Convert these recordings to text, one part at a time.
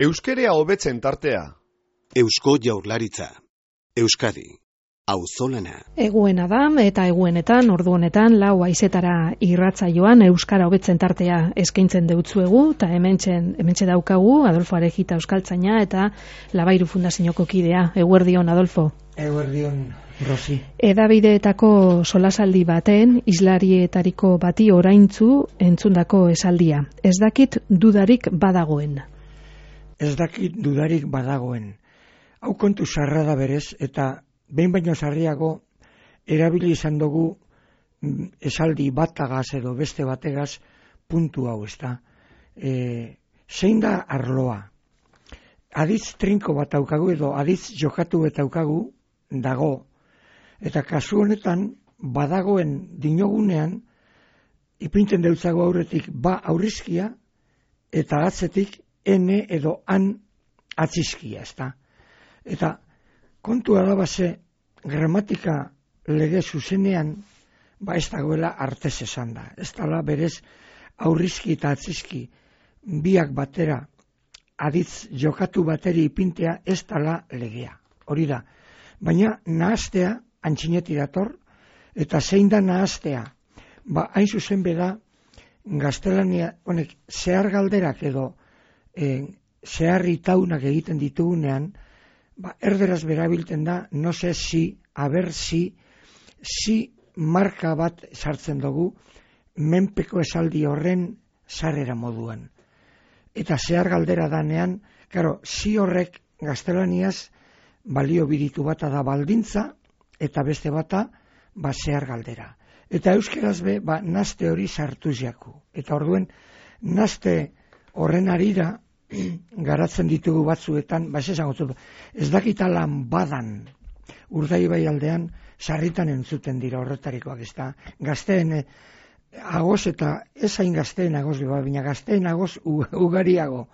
Euskerea hobetzen tartea. Eusko Jaurlaritza. Euskadi. Auzolana. Eguena da eta eguenetan, ordu honetan, 4 haizetara irratsaioan euskara hobetzen tartea eskaintzen deutzuegu, eta hementxe daukagu Adolfo Arejita euskaltzaina eta Labairu Fundazioko kidea. Eguerdion, Adolfo. Eguerdion, Rosi. Edabideetako solasaldi baten, islarietariko bati oraintzu entzundako esaldia. Ez dakit dudarik badagoen. Ez dakit dudarik badagoen. Hau kontu sarra da berez, eta behin baino sarriago erabili izan dugu esaldi batagaz edo beste bategaz puntu hau, ezta. Zein da arloa? Aditz trinko bat daukagu edo aditz jokatu bat daukagu dago, eta kasu honetan badagoen dinogunean ipinten deutzago aurretik ba aurrizkia eta atzetik ene edo an atzizkia, ezta. Eta kontua da base gramatika lege zuzenean ez dagoela artez esan da. Ez dala berez aurrizki eta atzizki biak batera aditz jokatu bateri ipintea ez dala legea. Hori da. Baina nahaztea antxineti dator, eta zein da nahaztea? Hain zuzen beda gaztelania honek zehar galderak edo zeharri taunak egiten ditugunean, erderaz berabilten da, no sé si, a ver si marka bat sartzen dugu menpeko esaldi horren sarrera moduan. Eta zehar galdera danean, karo, si horrek gaztelaniaz balio biritu bata da baldintza, eta beste bata zehar galdera. Eta euskeraz be, nazte hori sartuz jaku. Eta orduen, nazte horren arira, garatzen ditugu batzuetan, ez dakitalan badan, Urdaibai aldean, sarritan entzuten dira horretarikoak, ez da, gazteen agoz eta ez hain gazteen agoz, baina gazteen agoz ugariago.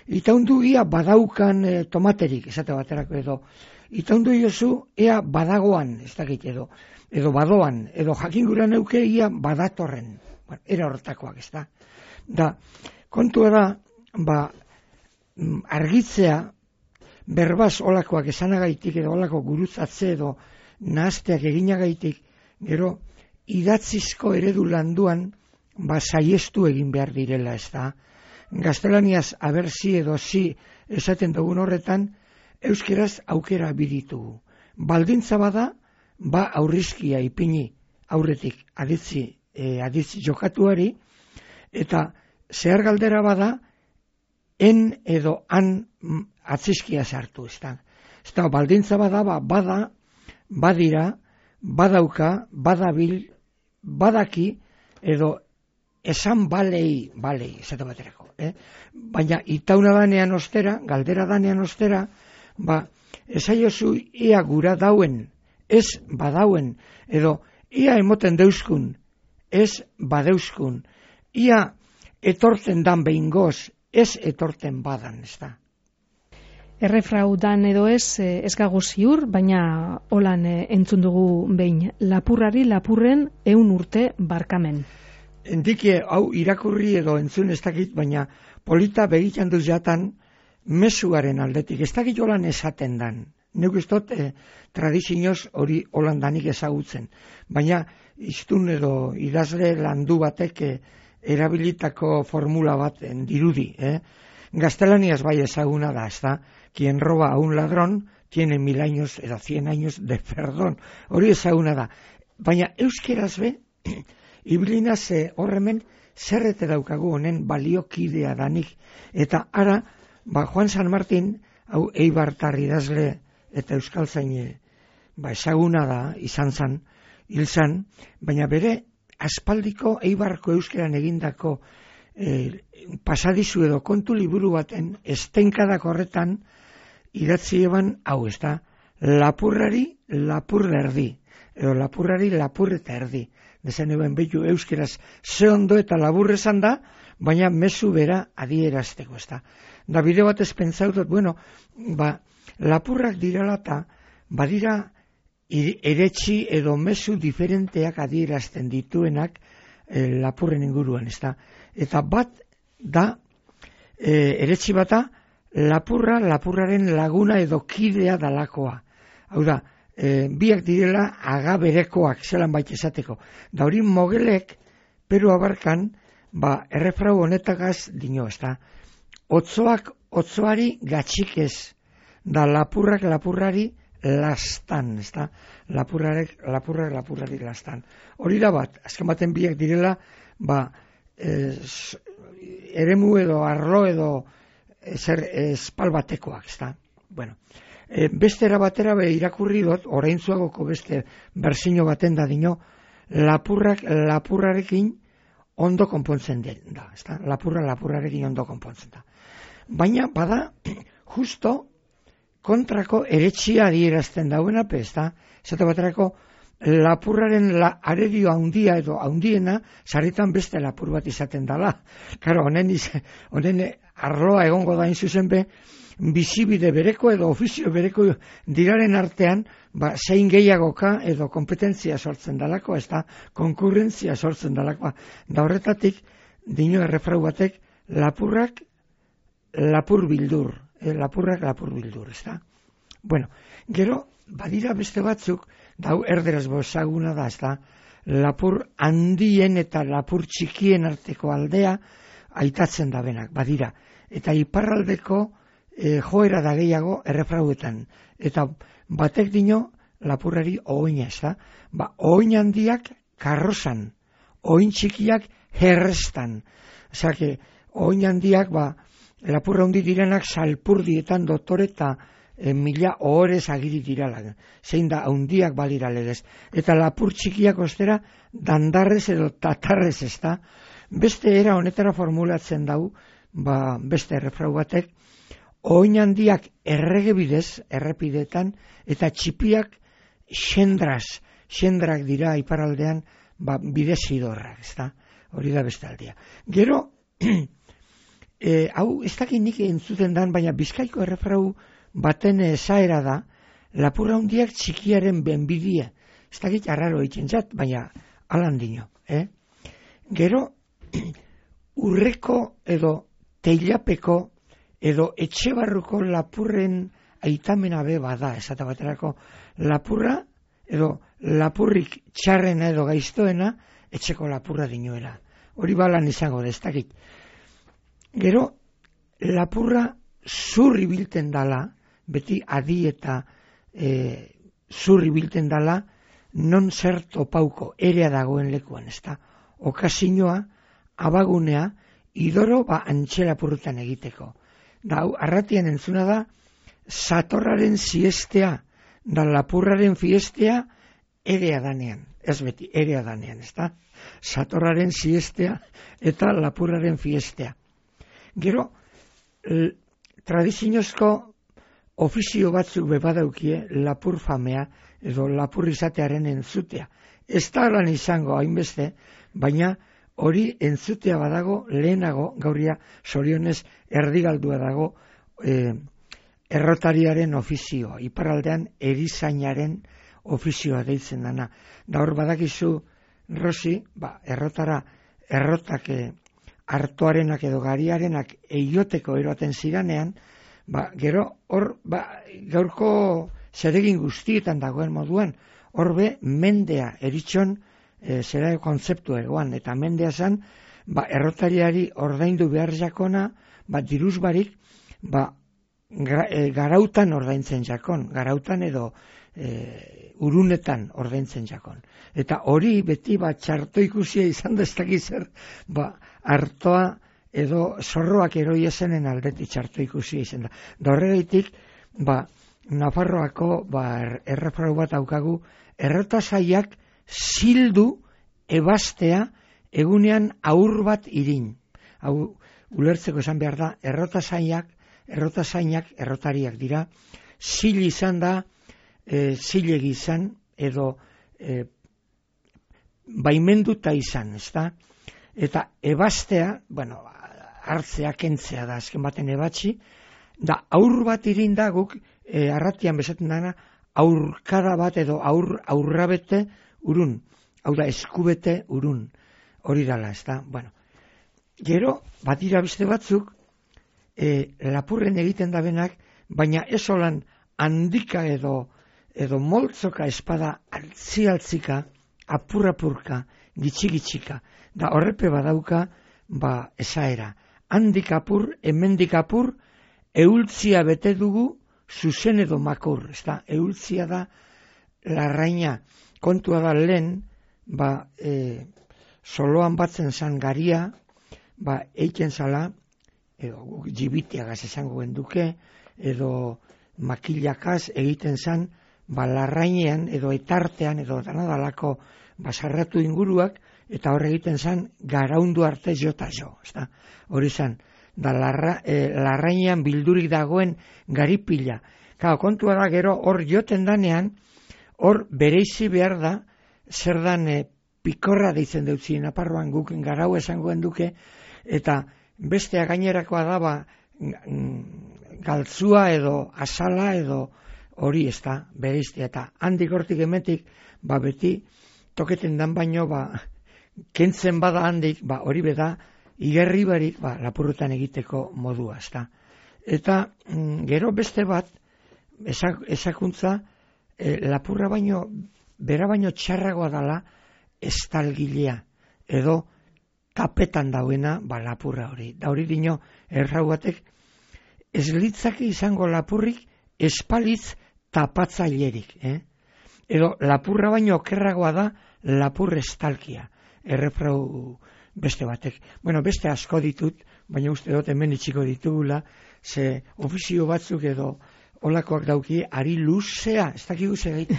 Itaundu ia badaukan tomaterik, esate baterako edo, itaundu iozu ea badagoan, ez dakit edo badoan, edo jakin gura neuke ia badatorren, era horretakoak, ez da. Da, kontua da, argitzea, berbaz olakoak esanagaitik edo olako gurutzatze edo nahazteak eginagaitik, gero idatzizko eredu landuan saiestu egin behar direla, ez da. Gaztelaniaz aberzi edo zi esaten dugun horretan, euskeraz aukera biditugu. Baldintza bada, aurrizkia ipini aurretik aditz jokatuari, eta zehar galdera bada, en edo an atzizkia sartu, ez da. Ez da, baldintza bada, badira, badauka, badabil, badaki, edo esan balei, esate baterako. Baina itauna danean ostera, galdera danean ostera, esaiozu ia gura dauen, ez badauen, edo ia emoten deuskun, ez badeuskun, ia etorten dan behingoz, ez etorten badan, ez da. Errefraudan edo ez gago ziur, baina holan entzun dugu behin. Lapurrari lapurren 100 urte barkamen. Endike, hau irakurri edo entzun ez dakit, baina polita begitan duz jatan mezuaren aldetik. Ez dakit holan esaten dan. Neuk ez dut tradizioz hori holan danik ezagutzen. Baina iztun edo idazle landu batek erabilitako formula bat dirudi. Gaztelaniaz bai ezaguna da, ez da, quien roba a un ladrón tiene 1000 años edo 100 años de perdón. Hori ezaguna da. Baina euskeraz be, iblinaz horremen zerrete daukagu honen baliokidea danik. Eta ara, Juan San Martin, hau Eibartar idazle eta euskaltzaine ezaguna da, izan zan, hil zan, baina bere aspaldiko Eibarko euskeran egindako pasadizu edo kontu liburu baten estenkadak horretan idatzi eban hau, ez da, lapurrari lapur erdi, edo lapurrari lapur eta erdi. Dezen eben behitu euskeraz ze ondo eta labur esan da, baina mezu bera adierazteko, ez da. Da bide batez pentsautot, lapurrak dirala eta badira eretxi edo mezu diferenteak adierazten dituenak lapurren inguruan, ez da. Eta bat da eretzi bata, lapurraren laguna edo kidea dalakoa. Hau da, biak direla agaberekoak, zelan baita esateko. Da hori mogelek, Peru abarkan, errefrau honetagaz dino, ez da. Otzoari gatxik ez, da lapurrari lastan, ez da. Lapurrari lastan. Hori da bat, azken baten biak direla, eremu edo arlo edo espal batekoak, ez da. Bueno, beste era batera irakurri dut, oraintzuagoko beste berzino baten da dino, lapurrarekin ondo konpontzen da, ez da. Lapurrarekin ondo konpontzen da. Baina, bada, justo kontrako eretxia adierazten dauena, ez da. Zate baterako, lapurraren arerio handia edo handiena, sarritan beste lapur bat izaten dala. Karo, honen arloa egongo da zuzen be, bizibide bereko edo ofizio bereko diraren artean, zein gehiagoka edo kompetentzia sortzen dalako, ez da, konkurrentzia sortzen dalako. Da horretatik, dino errefrau batek, lapurrak lapur bildur, ez da. Bueno, gero, badira beste batzuk, dau erderaz bozaguna da, ez da, lapur handien eta lapur txikien arteko aldea aitatzen da benak, badira. Eta iparraldeko joera da gehiago errefrauetan. Eta batek dino lapurrari oina, ez da. Oin handiak karrozan, oin txikiak herrestan. Osea, oin handiak, lapurra handi direnak salpurdietan dotore eta mila ohorez agiri dirala. Zein da, handiak balira legez. Eta lapur txikiak ostera, dandarrez edo tatarrez, ez da. Beste era honetara formulatzen dau, beste errefrau batek, oin handiak errege bidez, errepidetan, eta txipiak xendrak dira iparaldean, bidez idorrak, ez da. Hori da beste aldia. Gero, hau, ez dakit nik entzuten dan, baina Bizkaiko errefrau baten esaera da, lapurra handiak txikiaren benbidia. Ez dakit arraro egiten zat, baina alan dino. Gero, urreko edo teilapeko edo etxebarruko lapurren aitamena be bada, esate baterako lapurra edo lapurrik txarrena edo gaiztoena etxeko lapurra dinoela. Hori balan izango da, ez dakit. Gero, lapurra zurri bilten dala, beti adi eta zurri bilten dala, non zer topauko, erea dagoen lekuan, ez da. Okazinoa, abagunea, idoro antxela purrutan egiteko. Da, arratian entzuna da, satorraren siestea, da lapurraren fiestea, erea danean. Ez beti, erea danean, ez da. Satorraren siestea eta lapurraren fiestea. Gero, tradiziozko ofizio batzuk bebadaukie lapur famea edo lapur izatearen entzutea. Ez da lan izango hainbeste, baina hori entzutea badago lehenago, gauria zorionez erdigaldua dago errotariaren ofizioa, iparraldean erizainaren ofizioa deitzen dana. Da hor badakizu, Rosi, errotak hartoarenak edo gariarenak eioteko eroaten ziranean, gero hor gaurko zeregin guztietan dagoen moduan, horbe mendea eritxon zera kontzeptu egoan, eta mendea zan, errotariari ordaindu behar jakona, diruz barik, garautan ordaintzen jakon, garautan edo urunetan ordaintzen jakon. Eta hori beti txarto ikusia izan da ez dakitzer, hartoa edo zorroak eroi esenen aldeti txarto ikusia izan da. Da horregaitik, Nafarroako errefrau bat daukagu, errotasaiak zildu ebastea egunean aur bat irin. Hau ulertzeko esan behar da, errotasainak errotariak dira, zil izan da, zilegi izan, edo baimenduta izan, ez da? Eta ebastea, hartzea, kentzea da, azken baten ebatzi, da aur bat irin da guk, arratian bezaten dana, aurkada bat edo aurrabete urun. Hau da, eskubete urun. Hori dala, ez da? Gero, badira beste batzuk, lapurren egiten da benak, baina ez olan handika edo moltzoka espada altzi-altzika, apur-apurka, gitxi-gitxika. Da horrepe badauka, esaera. Handik apur, hemendik apur, eultzia bete dugu, zuzen edo makur. Eultzia da larraina. Kontua da lehen, soloan batzen zan garia, eiken zala, edo jibitiagaz esango genduke, edo makilakaz egiten zan, larrainean edo etartean edo danadalako basarratu inguruak, eta hor egiten zan garaundu arte jota jo. Hori zan, da larrainean bildurik dagoen garipila. Kontua da gero hor joten danean, hor bereizi behar da, zer dan pikorra deitzen deutzi, Naparroan guk garau esango genduke, eta bestea gainerakoa da, galtzua edo azala edo hori bereiztea, eta handik hortik emetik, beti toketen dan baino, kentzen bada handik, hori beda, igerri barik, lapurretan egiteko modua, Eta gero beste bat, esakuntza, lapurra baino, bera baino txarragoa dala, estalgilea, edo tapetan dauena, lapurra hori. Da hori dino, errau batek, ez litzake izango lapurrik, espalitz tapatzailerik, Edo lapurra baino okerragoa da, lapur estalkia, errefrau beste batek. Beste asko ditut, baina uste dut hemen itxiko ditugula, ze ofizio batzuk edo olakoak dauki, ari luzea, ez dakigu segeit.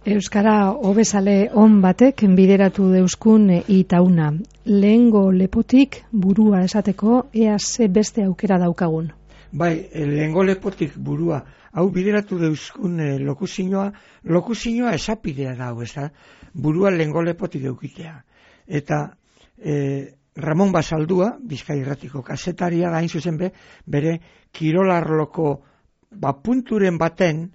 Euskara hobezale on batek bideratu deuskun itauna. Lehengo lepotik burua esateko, ea ze beste aukera daukagun. Lehengo lepotik burua, hau bideratu deuskun lokuzioa esapidea da, burua lehengo lepotik eukitea. Eta Ramon Basaldua, Bizkai Irratiko kazetaria da, hain zuzen bere kirolarloko punturen baten,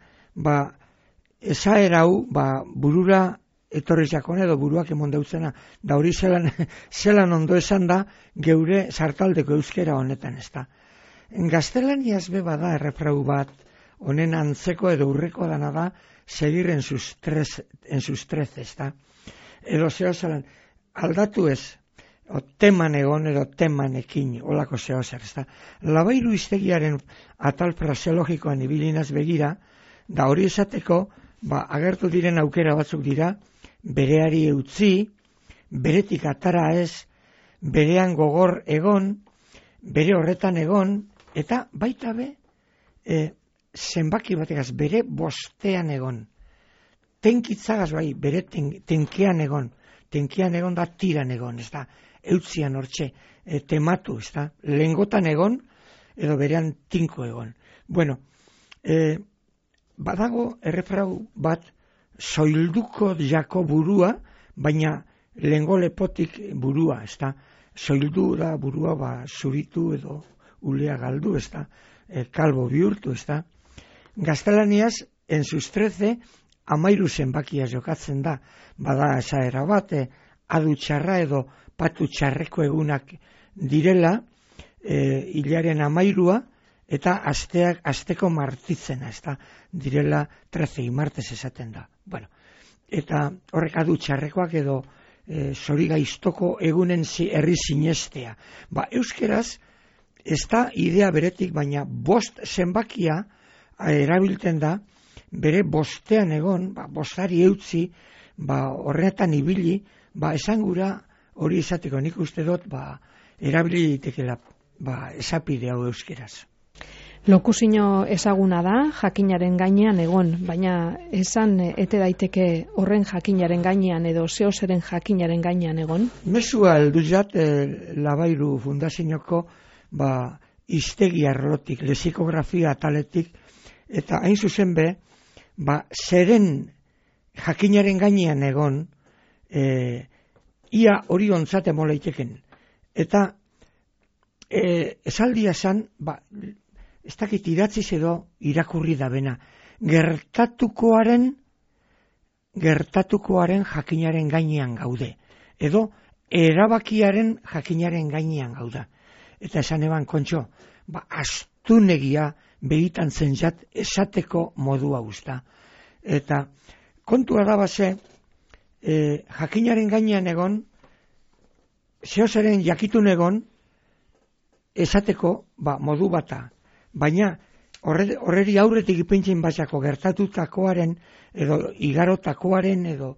esaera hau, burura etorri jakone edo buruak emon deutzena, da hori zelan ondo esan da, geure sartaldeko euskera honetan, Gaztelaniaz bada errefrau bat, honen antzeko edo urreko dana da, seguir en sus trece, Edo zeo zelan, aldatu ez, teman egon edo temanekin, olako zeo zer, Labairu iztegiaren atal fraseologikoan ibilinaz begira, da hori esateko, agertu diren aukera batzuk dira, bereari eutzi, beretik atara ez, berean gogor egon, bere horretan egon, eta baita zenbaki bategaz, bere bostean egon. Tenkitzagaz bere tenkean egon da tiran egon, eutzian hortxe, tematu, lengotan egon, edo berean tinko egon. Badago errefrau bat, soilduko jako burua, baina lehengo lepotik burua, soildu da burua zuritu edo ulea galdu, kalbo bihurtu, Gaztelaniaz, en sus 13, 13 zenbakia jokatzen da, bada esaera bat, adu txarra edo patu txarreko egunak direla, hilaren 13, eta asteko martitzena, direla 13 martes esaten da. Eta horrek adu txarrekoak edo zorigaiztoko egunen herri sinestea. Euskeraz, ez da idea beretik, baina bost zenbakia erabiltzen da, bere bostean egon, bostari eutzi, horretan ibili, esangura hori izateko, nik uste dut, erabili ditekela, esapide hau euskeraz. Lokuzio ezaguna da, jakinaren gainean egon, baina esan ete daiteke horren jakinaren gainean edo zeozeren jakinaren gainean egon? Mesua heldu jat, Labairu Fundazioko iztegi arlotik, lexikografia ataletik, eta hain zuzen zeren jakinaren gainean egon, ia hori ontzate moleiteken. Eta esaldia zan, ez dakit idatziz edo irakurri da bena, gertatukoaren jakinaren gainean gaude, edo erabakiaren jakinaren gainean gauda. eta esan eban Kontxo, astunegia begitan zentzat esateko modua guzta. Eta kontua da base, jakinaren gainean egon, zehozaren jakitun egon, esateko modu bata. Baina horreri aurretik ipintzen batzako gertatutakoaren, edo igarotakoaren, edo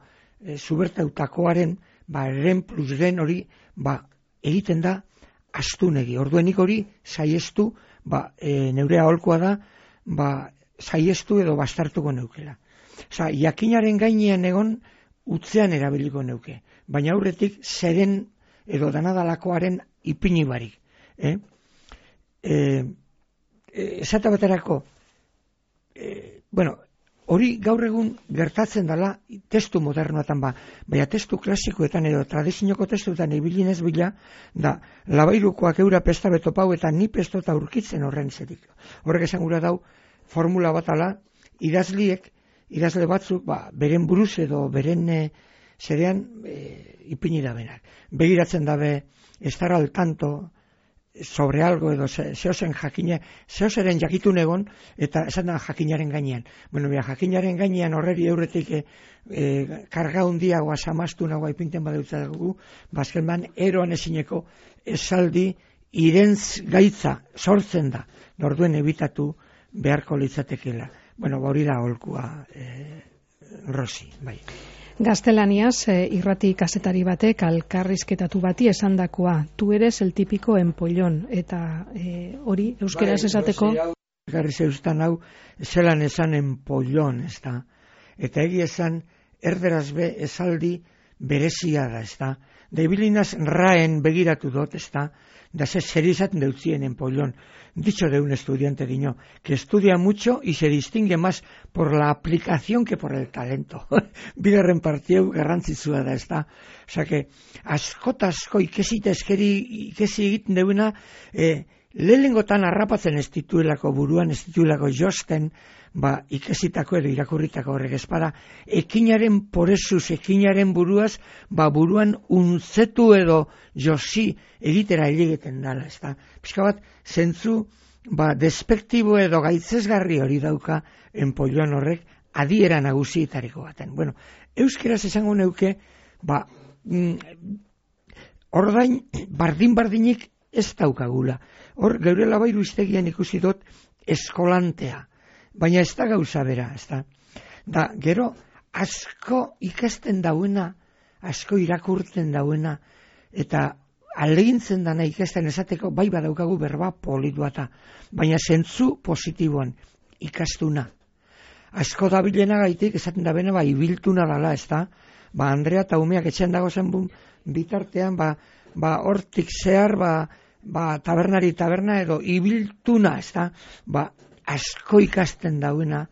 zubertautakoaren, eren plus den hori, egiten da astunegi. Orduenik hori saiestu, neure aholkoa da, saiestu edo bastartuko neukela. Osa, jakinaren gainean egon, utzean erabiliko neuke. Baina aurretik zeren edo danadalakoaren ipini barik. Esata baterako, hori gaur egun gertatzen dela testu modernoetan baina testu klasikoetan edo tradizioko testuetan ibilinez bila, da labairukoak eura pesta betopau eta ni pestota aurkitzen horren zetik. Horrek esan gura dau, formula batala, idazle batzuk, beren buruz edo beren zerean ipini da benak. Begiratzen dabe, estar al tanto, sobre algo edo zehozen jakine, zehozeren jakitun egon, eta esan da jakinaren gainean. Jakinaren gainean horreri euretik karga hundiagoa, samastunagoa ipinten badeutza dugu, bazkenban eroan ezineko esaldi irentz gaitza sortzen da, norduen ebitatu beharko litzatekela. Hori da aholkua, Rosi, bai. Gaztelaniaz, irrati kazetari batek alkarrizketatu bati esandakoa, tu eres el típico empollón, eta hori euskeraz esateko... Garri zeustan hau, zelan esan empollón, ez da. Eta egi esan, erderaz be esaldi berezia da, ez da. Da ibilinaz raen begiratu dut, ez da. Da zer izaten deutzien empollón. Dicho de un estudiante diño, que estudia mucho y se distingue más por la aplicación que por el talento. Bigarren partiu garrantzitsua da, ez da. Osa que, asko ikesita ikesi egiten deuna, lehengotan harrapatzen ez dituelako buruan, ez dituelako josten, ikesitako edo irakurritako horrek espada, ekinaren porezuz, ekinaren buruaz, buruan untzetu edo josi egitera egiten dala, ez da. Pizka bat, zentzu, despektibo edo gaitzesgarri hori dauka enpolloan horrek adiera nagusietariko baten. Euskeraz esango neuke, ordain bardin-bardinik ez daukagula. Hor, geure labairu iztegian ikusi dut eskolantea. Baina ez da gauza bera, ez da. Da, gero, asko ikasten dauena, asko irakurtzen dauena, eta alegintzen dana ikasten esateko, bai badaukagu berba polituata, baina zentzu positiboan, ikastuna. Asko dabilena gaitik, esaten da bene, ibiltuna dala, ez da. Andrea eta umeak etxean dago zen bitartean, hortik zehar, tabernari taberna edo ibiltuna, ez da. Asko ikasten dauena,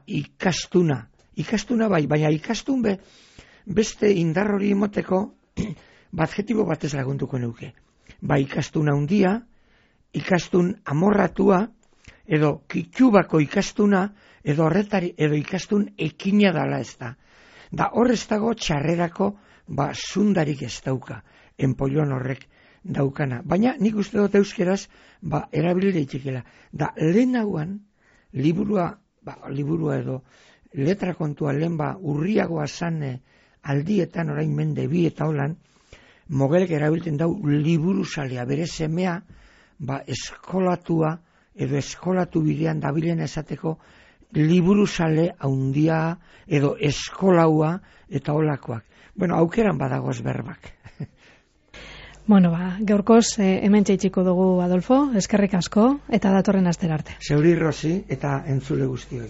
ikastuna. Ikastuna bai, baina ikastun beste indar hori emoteko, adjetibo batez lagunduko neuke. Ikastuna handia, ikastun amorratua, edo kitxubako ikastuna, edo horretari, edo ikastun ekina dala ez da. Da horrez dago txarrerako, zundarik ez dauka, enpollon horrek daukana. Baina nik uste dut euskeraz, erabili daitekela. Da lehenagoan, liburua edo letra kontua lehen urriagoa zan aldietan orain mende bi eta holan, mogelek erabiltzen dau liburu salea, bere semea, eskolatua edo eskolatu bidean dabilen esateko liburu sale haundia edo eskolaua eta holakoak. Aukeran badagoz berbak. Gaurkoz hemen txaitxiko dugu, Adolfo, eskerrik asko, eta datorren astera arte. Zeuri, Rosi, eta entzule guztioi.